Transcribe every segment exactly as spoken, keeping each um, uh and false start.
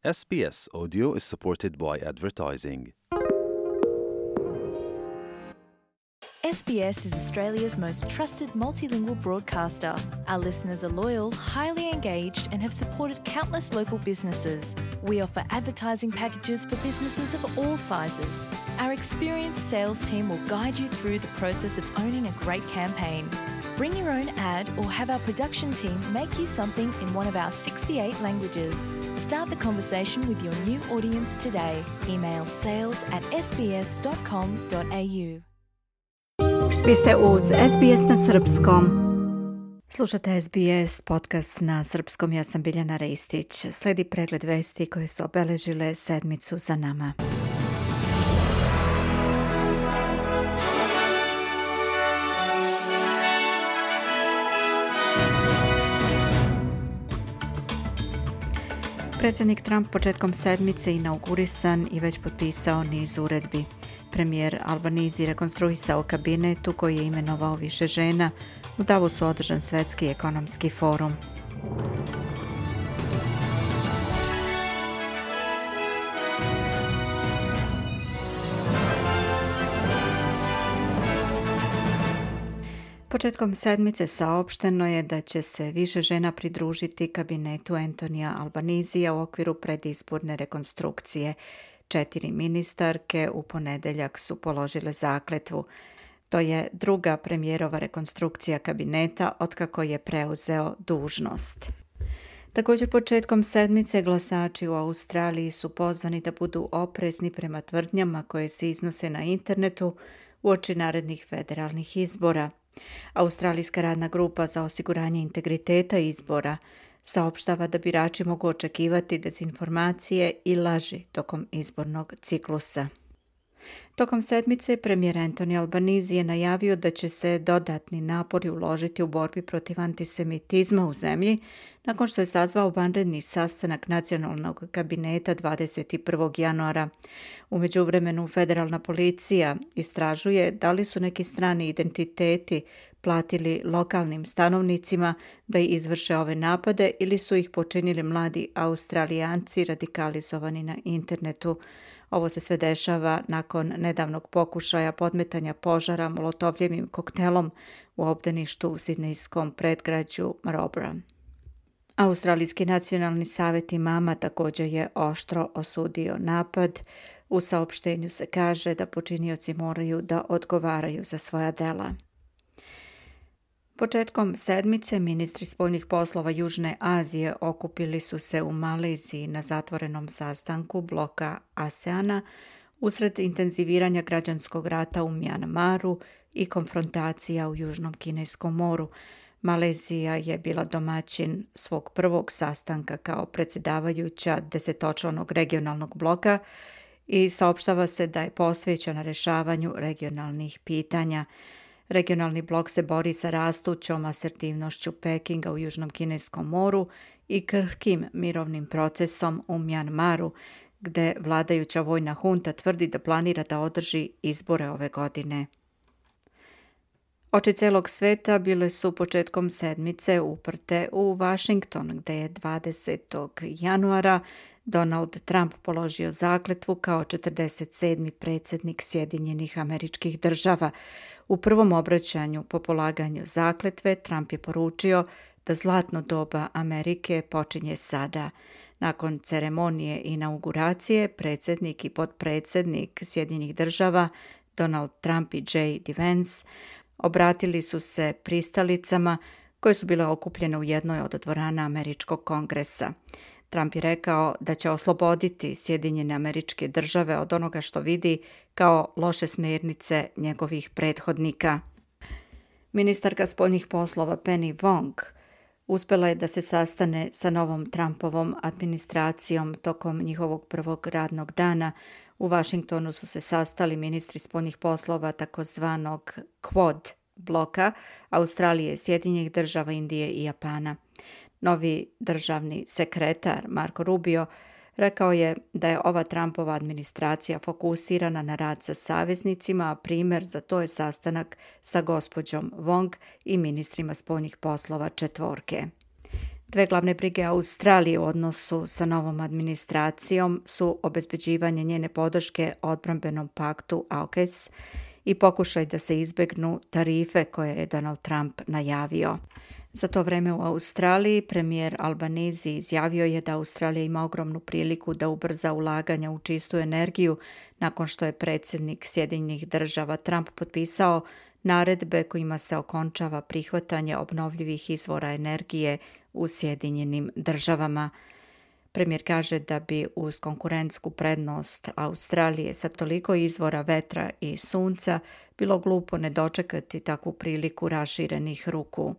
S B S Audio is supported by advertising. S B S is Australia's most trusted multilingual broadcaster. Our listeners are loyal, highly engaged, and have supported countless local businesses. We offer advertising packages for businesses of all sizes. Our experienced sales team will guide you through the process of owning a great campaign. Bring your own ad or have our production team make you something in one of our sixty-eight languages. Start the conversation with your new audience today. Email sales at s b s dot com dot a u. Vi ste uz S B S na srpskom. Slušate S B S podcast na srpskom, ja sam Biljana Ristić. Sledi pregled vesti koje su obeležile sedmicu za nama. Predsjednik Trump početkom sedmice inaugurisan i već potpisao niz uredbi. Premijer Albanese rekonstruisao kabinet u koji je imenovao više žena. U Davosu održan Svetski ekonomski forum. Početkom sedmice saopšteno je da će se više žena pridružiti kabinetu Antonija Albanesea u okviru predizborne rekonstrukcije. Četiri ministarke u ponedeljak su položile zakletvu. To je druga premijerova rekonstrukcija kabineta otkako je preuzeo dužnost. Također početkom sedmice glasači u Australiji su pozvani da budu oprezni prema tvrdnjama koje se iznose na internetu uoči narednih federalnih izbora. Australijska radna grupa za osiguranje integriteta izbora saopštava da birači mogu očekivati dezinformacije i laži tokom izbornog ciklusa. Tokom sedmice premijer Anthony Albanese je najavio da će se dodatni napori uložiti u borbi protiv antisemitizma u zemlji nakon što je sazvao vanredni sastanak nacionalnog kabineta dvadeset prvog januara. U međuvremenu federalna policija istražuje da li su neki strani identiteti platili lokalnim stanovnicima da izvrše ove napade ili su ih počinili mladi Australijanci radikalizovani na internetu. Ovo se sve dešava nakon nedavnog pokušaja podmetanja požara molotovljevim koktelom u obdaništu u sidnejskom predgrađu Marlborough. Australijski nacionalni savjet imama također je oštro osudio napad. U saopštenju se kaže da počinioci moraju da odgovaraju za svoja dela. Početkom sedmice ministri spoljnih poslova Južne Azije okupili su se u Maleziji na zatvorenom sastanku bloka ASEANA usred intenziviranja građanskog rata u Mjanmaru i konfrontacija u Južnom Kineskom moru. Malezija je bila domaćin svog prvog sastanka kao predsjedavajuća desetočlanog regionalnog bloka i saopštava se da je posvećena rješavanju regionalnih pitanja. Regionalni blok se bori sa rastućom asertivnošću Pekinga u Južnom Kineskom moru i krhkim mirovnim procesom u Mjanmaru, gde vladajuća vojna hunta tvrdi da planira da održi izbore ove godine. Oči celog sveta bile su početkom sedmice uprte u Washington, gde je dvadesetog januara Donald Trump položio zakletvu kao četrdeset sedmi predsjednik Sjedinjenih Američkih Država. U prvom obraćanju po polaganju zakletve Trump je poručio da zlatno doba Amerike počinje sada. Nakon ceremonije inauguracije, predsjednik i potpredsjednik Sjedinjenih Država Donald Trump i J D Vance obratili su se pristalicama koje su bile okupljene u jednoj od dvorana Američkog kongresa. Trump je rekao da će osloboditi Sjedinjene Američke Države od onoga što vidi kao loše smjernice njegovih prethodnika. Ministarka spoljnih poslova Penny Wong uspjela je da se sastane sa novom Trumpovom administracijom tokom njihovog prvog radnog dana. U Washingtonu su se sastali ministri spoljnih poslova takozvanog Quad bloka Australije, Sjedinjenih Država, Indije i Japana. Novi državni sekretar Marco Rubio rekao je da je ova Trumpova administracija fokusirana na rad sa saveznicima, a primjer za to je sastanak sa gospođom Wong i ministrima spoljnih poslova četvorke. Dve glavne brige Australije u odnosu sa novom administracijom su obezbeđivanje njene podrške odbrambenom paktu AUKUS i pokušaj da se izbegnu tarife koje je Donald Trump najavio. Za to vreme u Australiji premijer Albanese izjavio je da Australija ima ogromnu priliku da ubrza ulaganja u čistu energiju nakon što je predsjednik Sjedinjenih država Trump potpisao naredbe kojima se okončava prihvatanje obnovljivih izvora energije u Sjedinjenim državama. Premijer kaže da bi uz konkurentsku prednost Australije sa toliko izvora vetra i sunca bilo glupo ne dočekati takvu priliku raširenih ruku.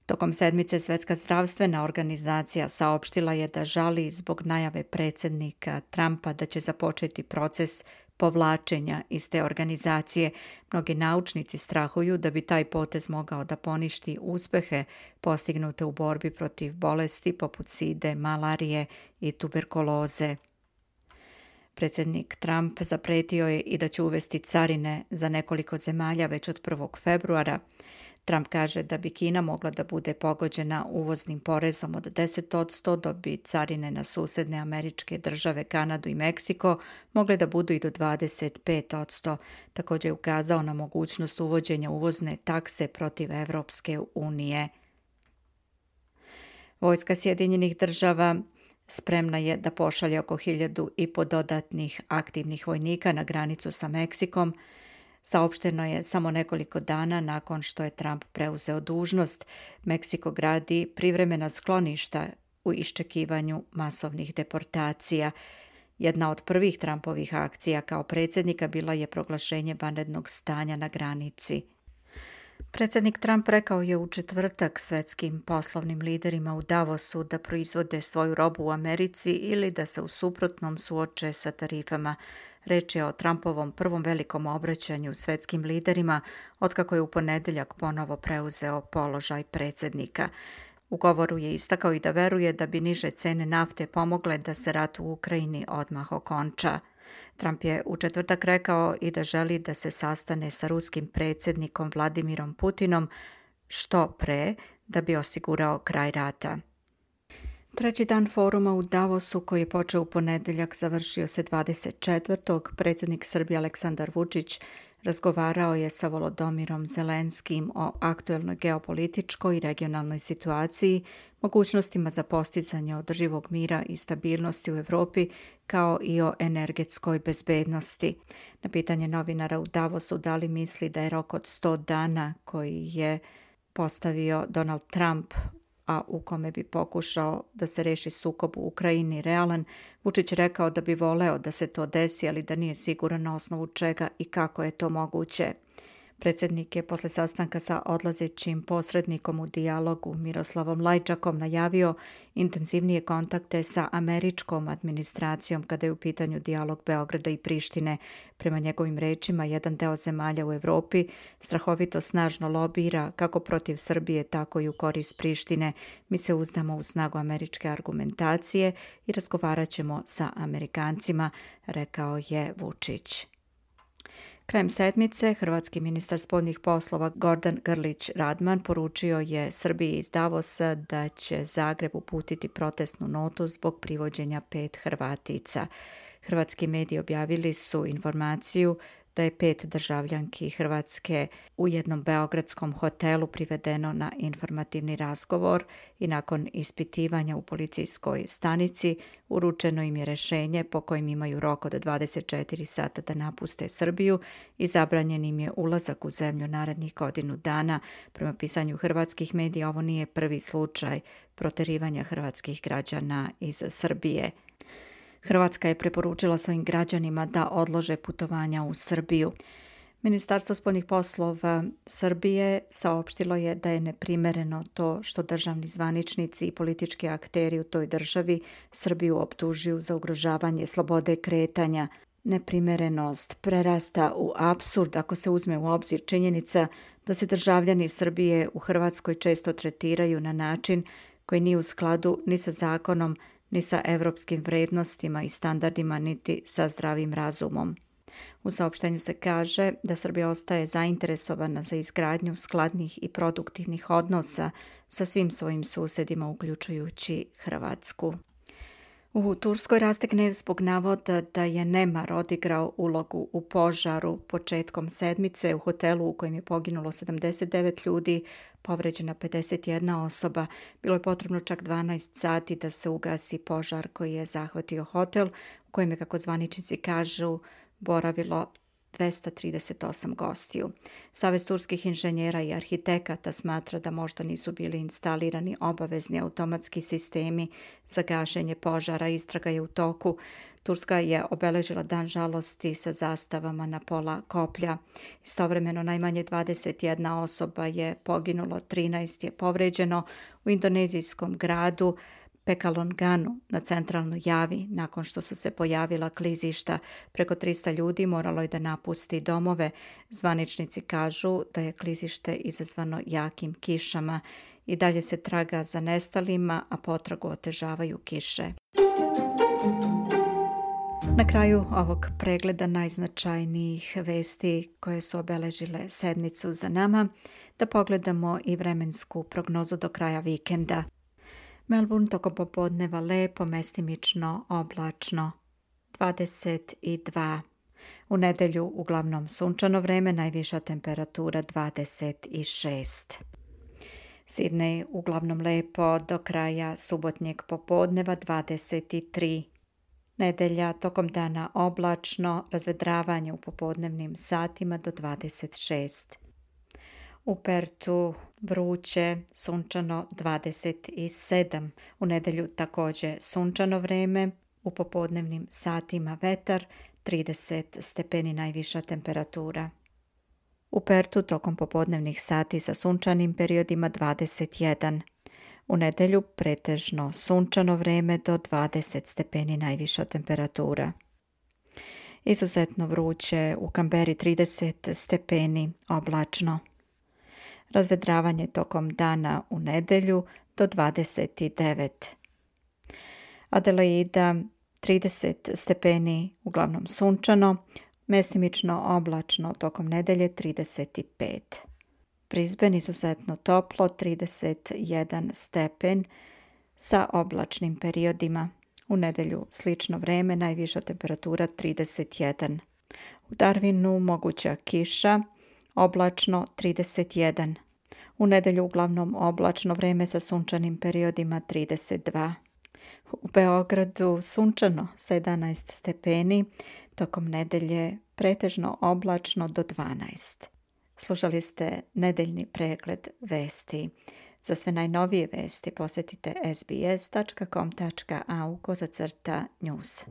Tokom sedmice Svjetska zdravstvena organizacija saopštila je da žali zbog najave predsjednika Trumpa da će započeti proces povlačenja iz te organizacije. Mnogi naučnici strahuju da bi taj potez mogao da poništi uspehe postignute u borbi protiv bolesti poput side, malarije i tuberkuloze. Predsjednik Trump zapretio je i da će uvesti carine za nekoliko zemalja već od prvog februara. Trump kaže da bi Kina mogla da bude pogođena uvoznim porezom od deset posto, dok bi carine na susedne američke države, Kanadu i Meksiko mogle da budu i do dvadeset pet posto. Također je ukazao na mogućnost uvođenja uvozne takse protiv Evropske unije. Vojska Sjedinjenih država spremna je da pošalje oko hiljadu i po dodatnih aktivnih vojnika na granicu sa Meksikom. Saopšteno je samo nekoliko dana nakon što je Trump preuzeo dužnost. Meksiko gradi privremena skloništa u iščekivanju masovnih deportacija. Jedna od prvih Trumpovih akcija kao predsjednika bila je proglašenje vanrednog stanja na granici. Predsjednik Trump rekao je u četvrtak svetskim poslovnim liderima u Davosu da proizvode svoju robu u Americi ili da se u suprotnom suoče sa tarifama. Reč je o Trumpovom prvom velikom obraćanju svetskim liderima otkako je u ponedjeljak ponovo preuzeo položaj predsjednika. U govoru je istakao i da veruje da bi niže cene nafte pomogle da se rat u Ukrajini odmah okonča. Trump je u četvrtak rekao i da želi da se sastane sa ruskim predsjednikom Vladimirom Putinom što pre da bi osigurao kraj rata. Treći dan foruma u Davosu koji je počeo u ponedjeljak završio se dvadeset četvrtog Predsjednik Srbije Aleksandar Vučić razgovarao je sa Volodomirom Zelenskim o aktuelnoj geopolitičkoj i regionalnoj situaciji, mogućnostima za postizanje održivog mira i stabilnosti u Europi, kao i o energetskoj bezbednosti. Na pitanje novinara u Davosu da li misli da je rok od sto dana koji je postavio Donald Trump, a u kome bi pokušao da se reši sukob u Ukrajini realan, Vučić rekao da bi voleo da se to desi, ali da nije siguran na osnovu čega i kako je to moguće. Predsjednik je posle sastanka sa odlazećim posrednikom u dijalogu Miroslavom Lajčakom najavio intenzivnije kontakte sa američkom administracijom kada je u pitanju dijalog Beograda i Prištine. Prema njegovim rečima, jedan deo zemalja u Europi strahovito snažno lobira kako protiv Srbije, tako i u korist Prištine. Mi se uzdamo u snagu američke argumentacije i razgovarat ćemo sa Amerikancima, rekao je Vučić. Krajem sedmice, hrvatski ministar spoljnih poslova Gordan Grlić Radman poručio je Srbiji iz Davosa da će Zagreb uputiti protestnu notu zbog privođenja pet Hrvatica. Hrvatski mediji objavili su informaciju da je pet državljanki Hrvatske u jednom beogradskom hotelu privedeno na informativni razgovor i nakon ispitivanja u policijskoj stanici uručeno im je rješenje po kojem imaju rok od dvadeset četiri sata da napuste Srbiju i zabranjen im je ulazak u zemlju narednih godinu dana. Prema pisanju hrvatskih medija ovo nije prvi slučaj proterivanja hrvatskih građana iz Srbije. Hrvatska je preporučila svojim građanima da odlože putovanja u Srbiju. Ministarstvo spoljnih poslova Srbije saopštilo je da je neprimereno to što državni zvaničnici i politički akteri u toj državi Srbiju optužuju za ugrožavanje slobode kretanja. Neprimerenost prerasta u apsurd ako se uzme u obzir činjenica da se državljani Srbije u Hrvatskoj često tretiraju na način koji nije u skladu ni sa zakonom, ni sa evropskim vrednostima i standardima, niti sa zdravim razumom. U saopštenju se kaže da Srbija ostaje zainteresovana za izgradnju skladnih i produktivnih odnosa sa svim svojim susedima, uključujući Hrvatsku. U Turskoj raste gnev zbog navoda da je nemar odigrao ulogu u požaru početkom sedmice u hotelu u kojem je poginulo sedamdeset devet ljudi, povređena pedeset jedna osoba. Bilo je potrebno čak dvanaest sati da se ugasi požar koji je zahvatio hotel u kojem je, kako zvaničnici kažu, boravilo dvesta trideset osam gostiju. Savez turskih inženjera i arhitekata smatra da možda nisu bili instalirani obavezni automatski sistemi za gašenje požara. Istraga je u toku. Turska je obeležila dan žalosti sa zastavama na pola koplja. Istovremeno najmanje dvadeset jedna osoba je poginulo, trinaest je povređeno u indonezijskom gradu Pekalonganu na centralnoj Javi. Nakon što su se pojavila klizišta, preko trista ljudi moralo je da napusti domove. Zvaničnici kažu da je klizište izazvano jakim kišama. I dalje se traga za nestalima, a potragu otežavaju kiše. Na kraju ovog pregleda najznačajnijih vesti koje su obeležile sedmicu za nama, da pogledamo i vremensku prognozu do kraja vikenda. Melbourne tokom popodneva lepo, mestimično, oblačno, dvadeset dva. U nedelju uglavnom sunčano vreme, najviša temperatura dvadeset šest. Sidney uglavnom lepo do kraja subotnjeg popodneva dvadeset tri. Nedelja tokom dana oblačno, razvedravanje u popodnevnim satima do dvadeset šest. U Pertu vruće, sunčano dvadeset sedam. U nedelju također sunčano vreme, u popodnevnim satima vetar, trideset stepeni najviša temperatura. U Pertu tokom popodnevnih sati sa sunčanim periodima dvadeset jedan. U nedelju pretežno sunčano vreme do dvadeset stepeni najviša temperatura. Izuzetno vruće u Kamberi trideset stepeni oblačno. Razvedravanje tokom dana u nedelju do dvadeset devet. Adelaida trideset stepeni uglavnom sunčano, mestimično oblačno tokom nedelje trideset pet. Brisbane izuzetno toplo, trideset jedan stepen sa oblačnim periodima. U nedelju slično vreme, najviša temperatura trideset jedan. U Darwinu moguća kiša, oblačno trideset jedan. U nedelju uglavnom oblačno vreme sa sunčanim periodima trideset dva. U Beogradu sunčano sa jedanaest stepeni, tokom nedelje pretežno oblačno do dvanaest. Slušali ste nedeljni pregled vesti. Za sve najnovije vesti posjetite es bi es tačka com tačka a u kozacrta news.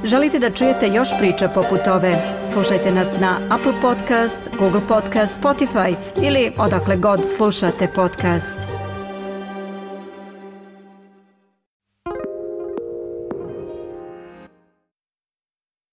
Želite da čujete još priča poput ove? Slušajte nas na Apple Podcast, Google Podcast, Spotify ili odakle god slušate podcast.